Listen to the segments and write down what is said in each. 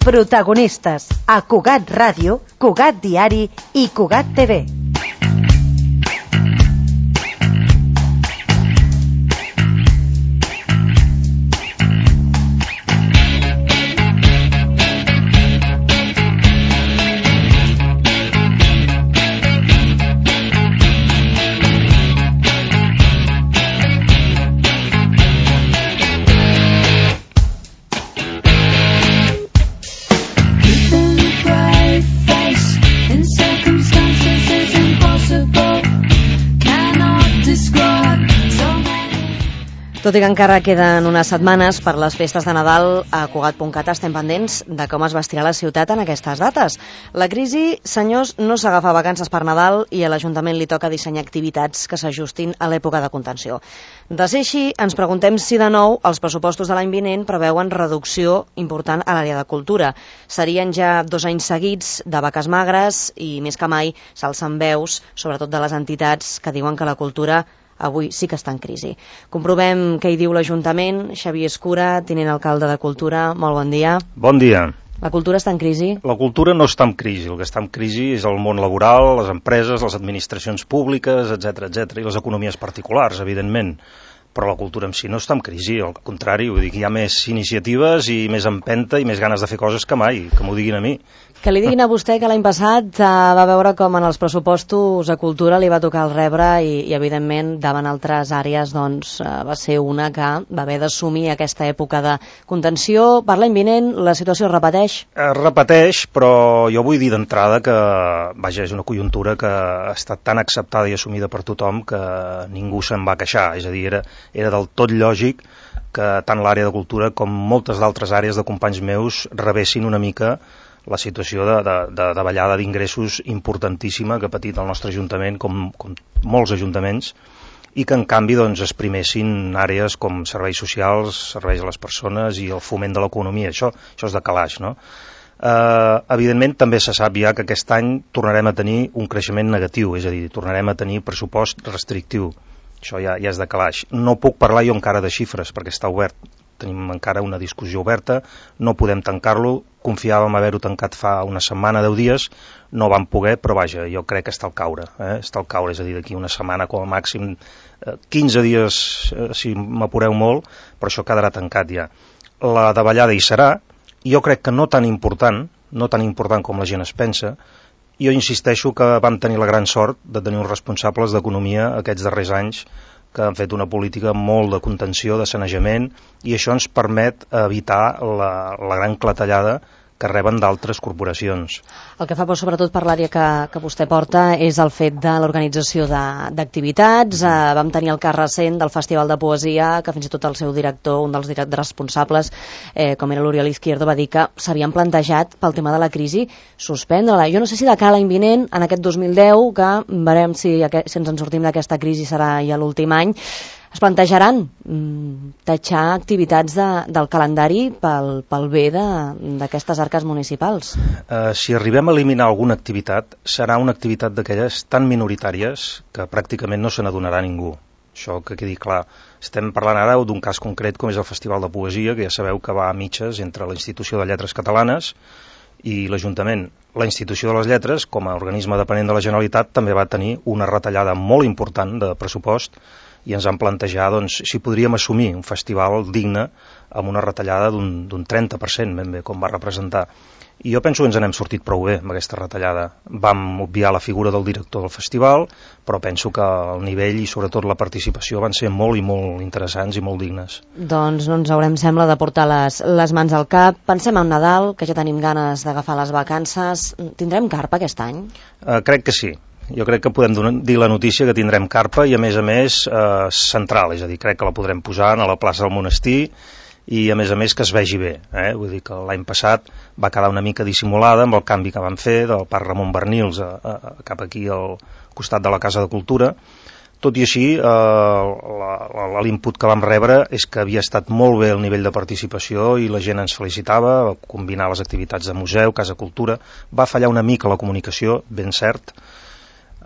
Protagonistes a Cugat Ràdio, Cugat Diari i Cugat TV. Tot i que encara queden unes setmanes per les festes de Nadal, a Cugat.cat estem pendents de com es vestirà la ciutat en aquestes dates. La crisi, senyors, no s'agafa vacances per Nadal i a l'Ajuntament li toca dissenyar activitats que s'ajustin a l'època de contenció. De ser així, ens preguntem si de nou els pressupostos de l'any vinent preveuen reducció important a l'àrea de cultura. Serien ja 2 anys seguits de vaques magres i més que mai s'alcen veus, sobretot de les entitats que diuen que la cultura avui sí que està en crisi. Comprovem què hi diu l'Ajuntament. Xavier Escura, tinent alcalde de Cultura, molt bon dia. Bon dia. La cultura està en crisi? La cultura no està en crisi. El que està en crisi és el món laboral, les empreses, les administracions públiques, etc, i les economies particulars, evidentment. Però la cultura en si no està en crisi, al contrari, vull dir que hi ha més iniciatives i més empenta i més ganes de fer coses que mai, que m'ho diguin a mi. Que li diguin a vostè que l'any passat va veure com en els pressupostos a cultura li va tocar el rebre i evidentment davant altres àrees doncs va ser una que va haver d'assumir aquesta època de contenció. Per l'any vinent la situació es repeteix? Es repeteix, però jo vull dir d'entrada que, vaja, és una conjuntura que ha estat tan acceptada i assumida per tothom que ningú se'n va queixar, és a dir, era del tot lògic que tant l'àrea de cultura com moltes d'altres àrees de companys meus rebessin una mica la situació de davallada d'ingressos importantíssima que ha patit el nostre Ajuntament, com molts ajuntaments, i que en canvi doncs, es primessin àrees com serveis socials, serveis a les persones i el foment de l'economia. Això és de calaix, no? Evidentment també se sap ja que aquest any tornarem a tenir un creixement negatiu, és a dir, tornarem a tenir pressupost restrictiu. Això ja és de calaix. No puc parlar jo encara de xifres perquè està obert. Tenim encara una discussió oberta, no podem tancar-lo, confiàvem haver-ho tancat fa una setmana, 10 dies, no vam poder, però vaja, jo crec que està al caure, està al caure, és a dir, d'aquí una setmana com a màxim, 15 dies si m'apureu molt, però això quedarà tancat ja. La davallada hi serà, i jo crec que no tan important com la gent es pensa. Jo insisteixo que vam tenir la gran sort de tenir uns responsables d'economia aquests darrers anys que han fet una política molt de contenció, de sanejament, i això ens permet evitar la gran clatellada que reben d'altres corporacions. El que fa por, sobretot per l'àrea que vostè porta, és el fet de l'organització d'activitats. Vam tenir el cas recent del Festival de Poesia, que fins i tot el seu director, un dels responsables, com era l'Oriol Izquierdo, va dir que s'havien plantejat, pel tema de la crisi, suspendre-la. Jo no sé si de cara a l'any vinent, en aquest 2010, que veurem si ens en sortim d'aquesta crisi serà ja l'últim any, es plantejaran tatxar activitats del calendari pel bé d'aquestes arques municipals? Si arribem a eliminar alguna activitat, serà una activitat d'aquelles tan minoritàries que pràcticament no se n'adonarà ningú. Això que quedi clar. Estem parlant ara d'un cas concret com és el Festival de Poesia, que ja sabeu que va a mitges entre la Institució de Lletres Catalanes i l'Ajuntament. La Institució de les Lletres, com a organisme dependent de la Generalitat, també va tenir una retallada molt important de pressupost i ens vam plantejar doncs, si podríem assumir un festival digne amb una retallada d'un 30%, ben bé, com va representar. I jo penso que ens n'hem sortit prou bé amb aquesta retallada. Vam obviar la figura del director del festival, però penso que el nivell i sobretot la participació van ser molt i molt interessants i molt dignes. Doncs no ens haurem, sembla, de portar les mans al cap. Pensem en Nadal, que ja tenim ganes d'agafar les vacances. Tindrem carpa aquest any? Crec que sí. Jo crec que podem dir la notícia que tindrem carpa i a més central, és a dir, crec que la podrem posar a la plaça del Monestir i a més que es vegi bé. Vull dir que l'any passat va quedar una mica dissimulada amb el canvi que vam fer del Parc Ramon Bernils cap aquí al costat de la Casa de Cultura. Tot i així, l'input que vam rebre és que havia estat molt bé el nivell de participació i la gent ens felicitava, va combinar les activitats de museu, Casa Cultura. Va fallar una mica la comunicació, ben cert,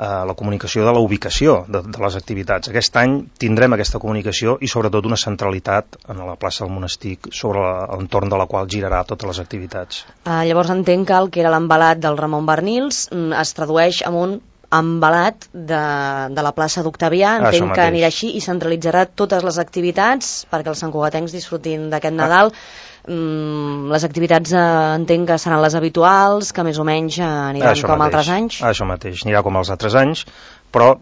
la comunicació de la ubicació de les activitats. Aquest any tindrem aquesta comunicació i sobretot una centralitat en la plaça del Monestir sobre l'entorn de la qual girarà totes les activitats. Llavors entenc que el que era l'embalat del Ramon Barnils es tradueix en un embalat de la plaça d'Octavià, entenc que anirà així i centralitzarà totes les activitats perquè els santcugatencs disfrutin d'aquest Nadal. Les activitats entenc que seran les habituals, que més o menys aniran com altres anys. Això mateix, anirà com els altres anys, però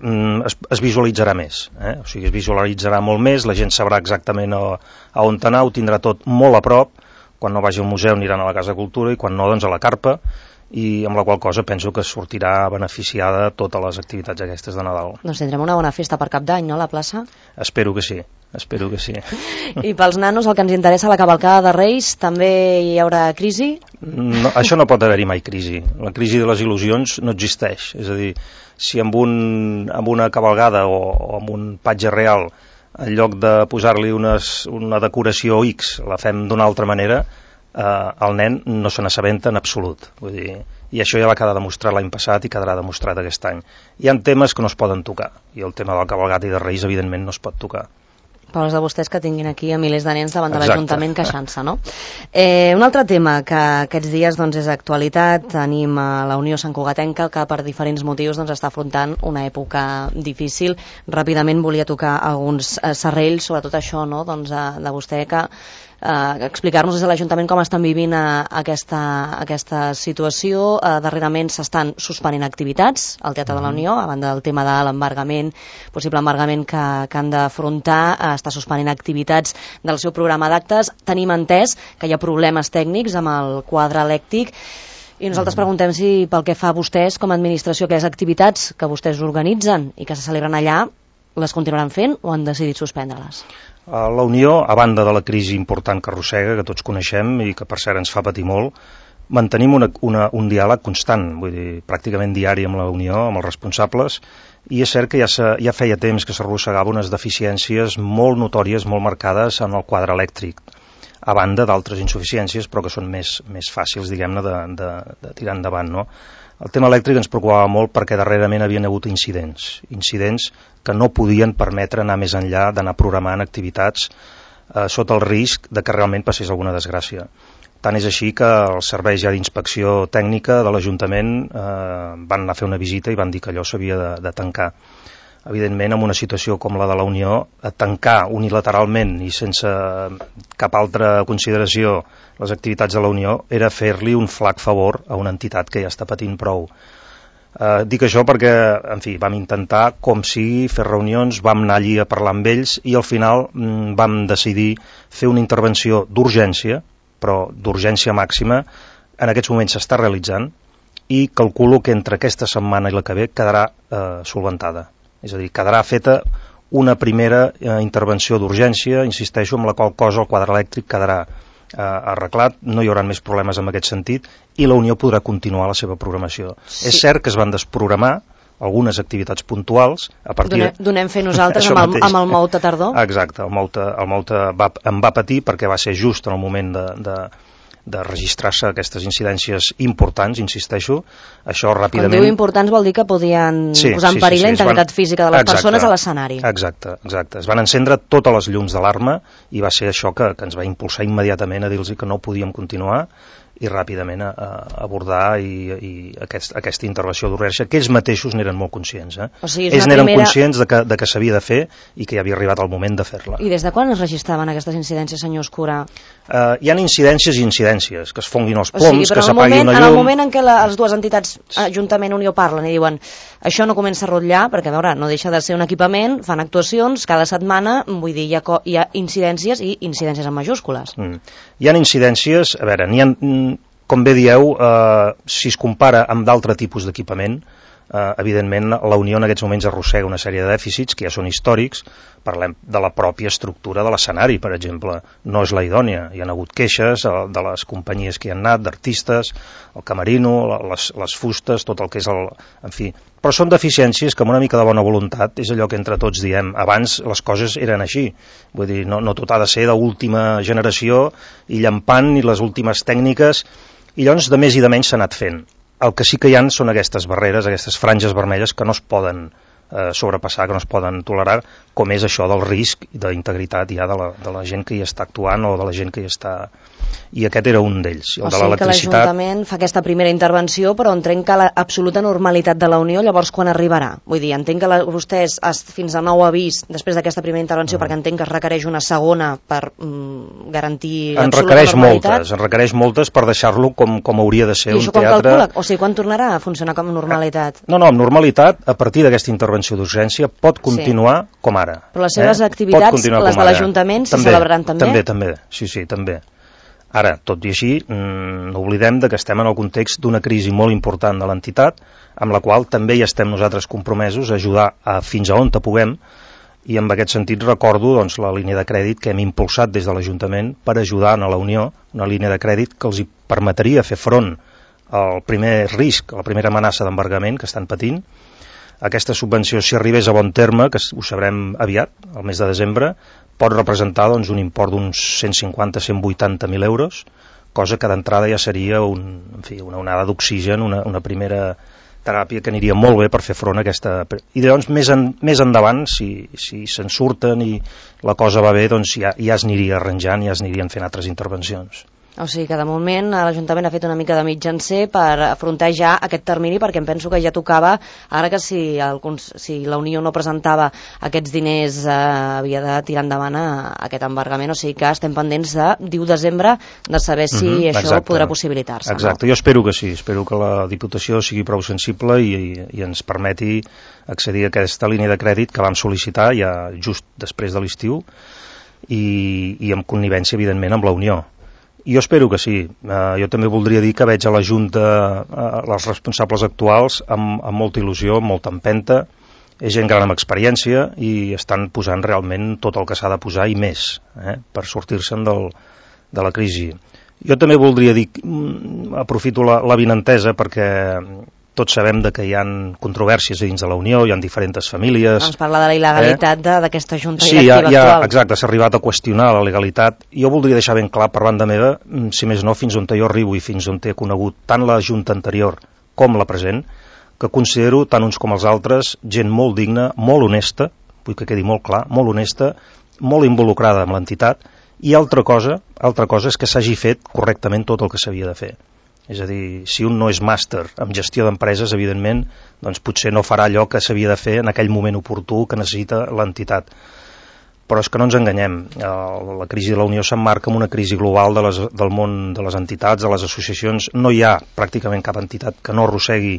es visualitzarà més, o sigui, es visualitzarà molt més, la gent sabrà exactament a on anar, ho tindrà tot molt a prop, quan no vagi al museu aniran a la Casa de Cultura i quan no, doncs a la Carpa, i amb la qual cosa penso que sortirà beneficiada totes les activitats aquestes de Nadal. Doncs tindrem una bona festa per Cap d'Any, no, a la plaça? Espero que sí. I pels nanos, el que ens interessa, la cavalcada de Reis, també hi haurà crisi? No, això no pot haver-hi mai crisi. La crisi de les il·lusions no existeix. És a dir, si amb una cavalgada o amb un patge real, en lloc de posar-li una decoració X, la fem d'una altra manera, el nen no se n'assabenta en absolut. Vull dir, i això ja va quedar demostrat l'any passat i quedarà demostrat aquest any. Hi ha temes que no es poden tocar, i el tema de la cavalgata i de Reis evidentment no es pot tocar. Pobres de vostès que tinguin aquí a milers de nens davant de l'Ajuntament queixant-se, no? Un altre tema que aquests dies doncs, és actualitat, tenim a la Unió Santcugatenca que per diferents motius doncs, està afrontant una època difícil. Ràpidament volia tocar alguns serrells, sobretot això, no? Doncs, de vostè que explicar-nos des de l'Ajuntament com estan vivint aquesta situació. Darrerament s'estan suspenent activitats al Teatre de la Unió, a banda del tema de l'embargament, possible embargament que han d'afrontar, està suspenent activitats del seu programa d'actes. Tenim entès que hi ha problemes tècnics amb el quadre elèctric i nosaltres preguntem si pel que fa a vostès com a administració, aquelles activitats que vostès organitzen i que se celebren allà, les continuaran fent o han decidit suspendre-les? La Unió, a banda de la crisi important que arrossega, que tots coneixem i que per cert ens fa patir molt, mantenim un diàleg constant, vull dir, pràcticament diari amb la Unió, amb els responsables, i és cert que ja feia temps que s'arrossegava unes deficiències molt notòries, molt marcades en el quadre elèctric, a banda d'altres insuficiències, però que són més fàcils, diguem-ne, de tirar endavant, no? El tema elèctric ens preocupava molt perquè darrerament havien hagut incidents que no podien permetre anar més enllà, d'anar programant activitats sota el risc de que realment passés alguna desgràcia. Tant és així que els serveis ja d'inspecció tècnica de l'Ajuntament van anar a fer una visita i van dir que allò s'havia de tancar. Evidentment, en una situació com la de la Unió, tancar unilateralment i sense cap altra consideració les activitats de la Unió era fer-li un flac favor a una entitat que ja està patint prou. Dic això perquè, en fi, vam intentar, com sigui, fer reunions, vam anar allí a parlar amb ells i al final vam decidir fer una intervenció d'urgència, però d'urgència màxima, en aquests moments s'està realitzant i calculo que entre aquesta setmana i la que ve quedarà solventada. És a dir, quedarà feta una primera intervenció d'urgència, insisteixo, amb la qual cosa el quadre elèctric quedarà arreglat, no hi haurà més problemes en aquest sentit i la Unió podrà continuar la seva programació. Sí. És cert que es van desprogramar algunes activitats puntuals a partir Donem fer nosaltres amb el Moute tardor? Exacte, el Moute em va patir perquè va ser just en el moment de registrar-se aquestes incidències importants, insisteixo, això ràpidament... Quan diu importants vol dir que podien posar en perill la integritat física de les persones a l'escenari. Exacte. Es van encendre totes les llums d'alarma i va ser això que ens va impulsar immediatament a dir-los que no podíem continuar i ràpidament a abordar i aquesta intervenció d'urgència, que ells mateixos n'eren molt conscients. O sigui, ells n'eren conscients de que s'havia de fer i que ja havia arribat el moment de fer-la. I des de quan es registraven aquestes incidències, senyor Escura? Hi ha incidències i incidències, que es fonguin els ploms, que s'apagui una llum... En el moment en què les dues entitats, Ajuntament i Unió, parlen i diuen això no comença a rotllar, perquè a veure, no deixa de ser un equipament, fan actuacions cada setmana, vull dir, hi ha incidències i incidències en majúscules. Hi ha incidències, a veure, n'hi ha... Com bé dieu, si es compara amb d'altre tipus d'equipament, evidentment la Unió en aquests moments arrossega una sèrie de dèficits que ja són històrics. Parlem de la pròpia estructura de l'escenari, per exemple, no és la idònia. Hi ha hagut queixes de les companyies que hi han anat, d'artistes, el camerino, les fustes, tot el que és el... En fi, però són deficiències que amb una mica de bona voluntat, és allò que entre tots diem, abans les coses eren així, vull dir, no tot ha de ser d'última generació i llampant i les últimes tècniques, i llavors de més i de menys s'ha anat fent. El que sí que hi ha són aquestes barreres, aquestes franges vermelles que no es poden sobrepassar, que no es poden tolerar, com és això del risc d'integritat ja de la gent que hi està actuant o de la gent que hi està... I aquest era un d'ells, el de l'electricitat. O sigui que l'Ajuntament fa aquesta primera intervenció, però entenc que l'absoluta normalitat de la Unió, llavors quan arribarà? Vull dir, entenc que vostès, fins a nou avís, després d'aquesta primera intervenció, perquè entenc que es requereix una segona per garantir l'absoluta normalitat. En requereix moltes per deixar-lo com hauria de ser un teatre... I això quan calcula? O sigui, quan tornarà a funcionar com a normalitat? No, amb normalitat, a partir d'aquesta intervenció d'urgència, pot continuar com ara. Però les seves activitats, les de l'Ajuntament, s'hi celebraran també? També, sí, també. Ara, tot i així, no oblidem que estem en el context d'una crisi molt important de l'entitat, amb la qual també hi estem nosaltres compromesos a ajudar fins a on puguem, i en aquest sentit recordo la línia de crèdit que hem impulsat des de l'Ajuntament per ajudar a la Unió, una línia de crèdit que els permetria fer front al primer risc, a la primera amenaça d'embargament que estan patint. Aquesta subvenció, si arribés a bon terme, que ho sabrem aviat, al mes de desembre, pot representar un import d'uns 150-180.000 euros, cosa que d'entrada ja seria una onada d'oxigen, una primera teràpia que aniria molt bé per fer front a aquesta... I llavors, més endavant, si se'n surten i la cosa va bé, doncs ja es aniria arranjant, ja es anirien fent altres intervencions. O sigui que de moment l'Ajuntament ha fet una mica de mitjancer per afrontar ja aquest termini, perquè em penso que ja tocava, ara que si la Unió no presentava aquests diners havia de tirar endavant aquest embargament, o sigui que estem pendents de 10 desembre de saber si això podrà possibilitar-se. Exacte, jo espero que sí, espero que la Diputació sigui prou sensible i ens permeti accedir a aquesta línia de crèdit que vam sol·licitar ja just després de l'estiu i en connivència, evidentment, amb la Unió. Jo espero que sí. Jo també voldria dir que veig a la Junta, els responsables actuals, amb molta il·lusió, amb molta empenta. És gent gran amb experiència i estan posant realment tot el que s'ha de posar i més per sortir-se'n de la crisi. Jo també voldria dir, aprofito l'avinentesa perquè tots sabem que hi ha controvèrsies dins de la Unió, hi ha diferents famílies... Ens parla de la il·legalitat d'aquesta junta directiva actual. Exacte, s'ha arribat a qüestionar la legalitat. Jo voldria deixar ben clar per banda meva, si més no, fins on jo arribo i fins on he conegut tant la junta anterior com la present, que considero, tant uns com els altres, gent molt digna, molt honesta, vull que quedi molt clar, molt honesta, molt involucrada amb l'entitat, i altra cosa és que s'hagi fet correctament tot el que s'havia de fer. És a dir, si un no és màster en gestió d'empreses, evidentment, doncs potser no farà allò que s'havia de fer en aquell moment oportú que necessita l'entitat. Però és que no ens enganyem. La crisi de la Unió s'emmarca en una crisi global del món de les entitats, de les associacions. No hi ha pràcticament cap entitat que no arrossegui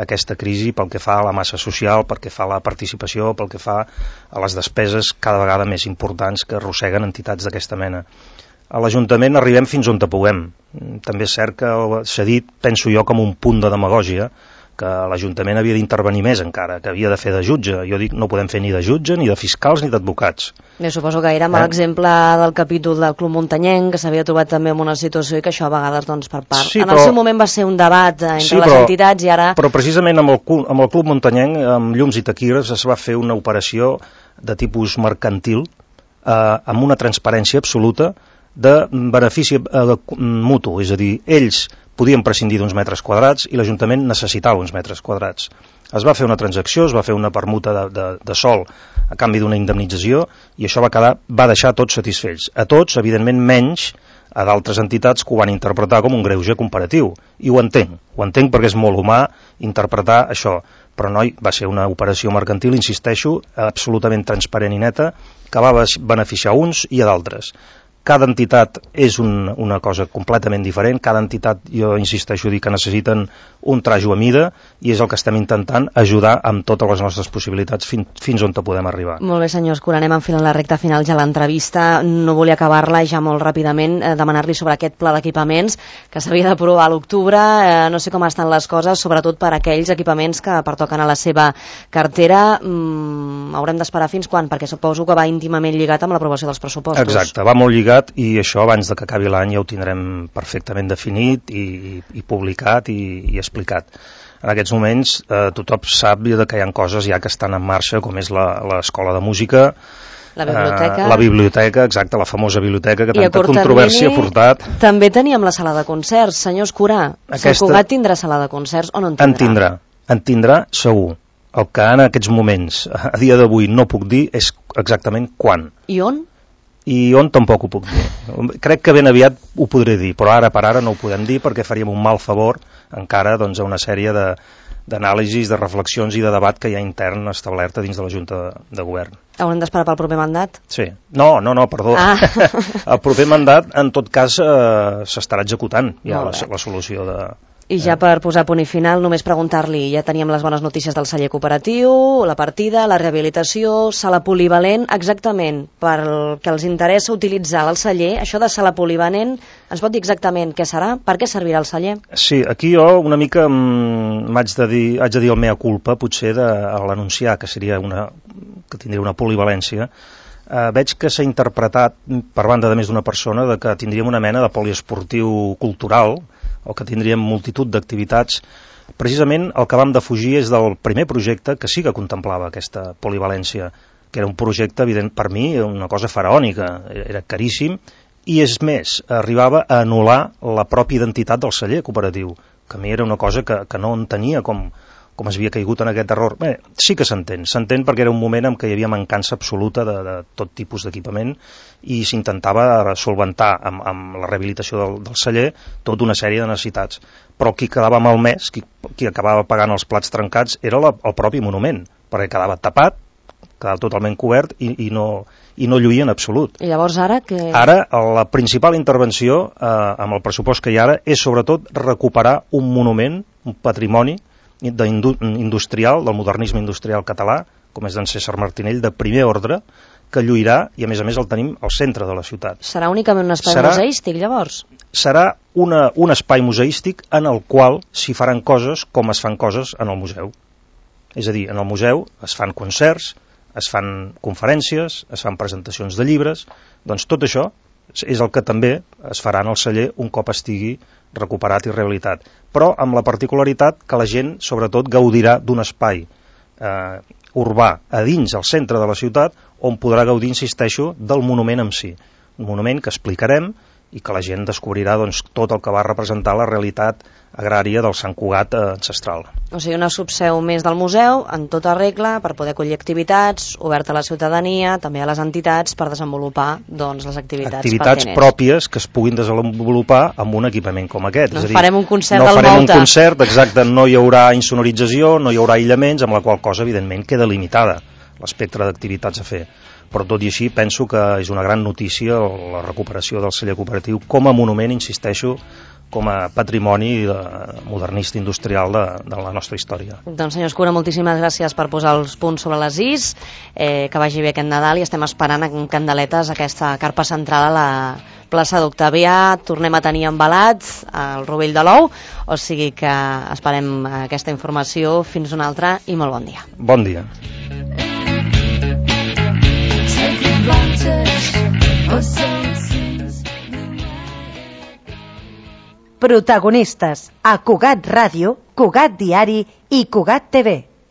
aquesta crisi pel que fa a la massa social, pel que fa a la participació, pel que fa a les despeses cada vegada més importants que arrosseguen entitats d'aquesta mena. A l'Ajuntament arribem fins on puguem. També és cert que s'ha dit, penso jo, com un punt de demagògia, que l'Ajuntament havia d'intervenir més encara, que havia de fer de jutge. Jo dic, no podem fer ni de jutge, ni de fiscals, ni d'advocats. Jo suposo que era mal exemple del capítol del Club Muntanyenc, que s'havia trobat també en una situació i que això a vegades, doncs, per part... Sí, en el seu moment va ser un debat entre les entitats i ara... Però precisament amb el Club Muntanyenc, amb llums i taquígrafs, es va fer una operació de tipus mercantil, amb una transparència absoluta, de benefici mutu, és a dir, ells podien prescindir d'uns metres quadrats i l'Ajuntament necessitava uns metres quadrats. Es va fer una transacció, es va fer una permuta de sòl a canvi d'una indemnització i això va deixar tots satisfets. A tots, evidentment, menys a d'altres entitats que ho van interpretar com un greuge comparatiu. I ho entenc perquè és molt humà interpretar això. Però noi, va ser una operació mercantil, insisteixo, absolutament transparent i neta, que va beneficiar a uns i a d'altres. Cada entitat és una cosa completament diferent, cada entitat, jo insisteixo a dir que necessiten un trajo a mida i és el que estem intentant ajudar amb totes les nostres possibilitats fins on podem arribar. Molt bé, senyor Escura, anem enfilant la recta final ja l'entrevista. No volia acabar-la ja molt ràpidament, demanar-li sobre aquest pla d'equipaments que s'havia d'aprovar a l'octubre. No sé com estan les coses, sobretot per aquells equipaments que pertoquen a la seva cartera. Haurem d'esperar fins quan? Perquè suposo que va íntimament lligat amb l'aprovació dels pressupostos. Exacte, va molt lligat i això abans de que acabi l'any ja ho tindrem perfectament definit i publicat i explicat. En aquests moments tothom sap que hi ha coses ja que estan en marxa, com és l'escola de música, La biblioteca. La biblioteca, exacte, la famosa biblioteca que tanta controvèrsia ha portat. També teníem la sala de concerts. Senyor Escurà, Sant Cugat tindrà sala de concerts o no en tindrà? En tindrà segur. El que en aquests moments, a dia d'avui, no puc dir és exactament quan. I on? I on tampoc ho puc dir. Crec que ben aviat ho podré dir, però ara per ara no ho podem dir perquè faríem un mal favor encara doncs, a una sèrie d'anàlisis, de reflexions i de debat que hi ha intern establerta dins de la Junta de Govern. Haurem d'esperar pel proper mandat? Sí. No, perdó. El proper mandat, en tot cas, s'estarà executant ja la solució de... I ja per posar punt i final, només preguntar-li, ja teníem les bones notícies del celler cooperatiu, la partida, la rehabilitació, sala polivalent, exactament, pel que els interessa utilitzar el celler, això de sala polivalent, ens pot dir exactament què serà? Per què servirà el celler? Sí, aquí jo una mica haig de dir el mea culpa, potser, de l'anunciar que tindria una polivalència. Veig que s'ha interpretat per banda de més d'una persona de que tindríem una mena de poliesportiu cultural o que tindríem multitud d'activitats. Precisament el que vam defugir és del primer projecte que sí que contemplava aquesta polivalència, que era un projecte, evident per mi, una cosa faraònica, era caríssim, i és més, arribava a anul·lar la pròpia identitat del celler cooperatiu, que a mi era una cosa que no entenia com es havia caigut en aquest error. Bé, sí que s'entén perquè era un moment en què hi havia mancança absoluta de tot tipus d'equipament i s'intentava solventar amb la rehabilitació del celler tota una sèrie de necessitats. Però qui quedava malmès, qui acabava pagant els plats trencats, era el propi monument, perquè quedava tapat, quedava totalment cobert i no lluïa en absolut. I llavors ara què? Ara la principal intervenció amb el pressupost que hi ha ara és sobretot recuperar un monument, un patrimoni industrial, del modernisme industrial català, com és d'en César Martinell, de primer ordre, que lluirà i a més el tenim al centre de la ciutat. Serà únicament un espai museístic, llavors? Serà un espai museístic en el qual s'hi faran coses com es fan coses en el museu. És a dir, en el museu es fan concerts, es fan conferències, es fan presentacions de llibres, doncs tot això és el que també es farà en el celler un cop estigui recuperat i rehabilitat, però amb la particularitat que la gent sobretot gaudirà d'un espai urbà a dins, al centre de la ciutat, on podrà gaudir, insisteixo, del monument en si. Un monument que explicarem i que la gent descobrirà doncs, tot el que va representar la realitat agrària del Sant Cugat ancestral. O sigui, una subseu més del museu, en tota regla, per poder acollir activitats, oberta a la ciutadania, també a les entitats, per desenvolupar doncs, les activitats pertinents. Pròpies que es puguin desenvolupar amb un equipament com aquest. No farem un concert del Volta. No farem un concert, exacte, no hi haurà insonorització, no hi haurà aïllaments, amb la qual cosa, evidentment, queda limitada l'espectre d'activitats a fer. Però tot i així penso que és una gran notícia la recuperació del celler cooperatiu com a monument, insisteixo, com a patrimoni modernista industrial de la nostra història. Doncs senyor Escura, moltíssimes gràcies per posar els punts sobre les is, que vagi bé aquest Nadal i estem esperant amb candeletes aquesta carpa central a la plaça d'Octavià, tornem a tenir embalat el rovell de l'ou, o sigui que esperem aquesta informació fins una altra i molt bon dia. Bon dia. Protagonistes a Cugat Ràdio, Cugat Diari i Cugat TV.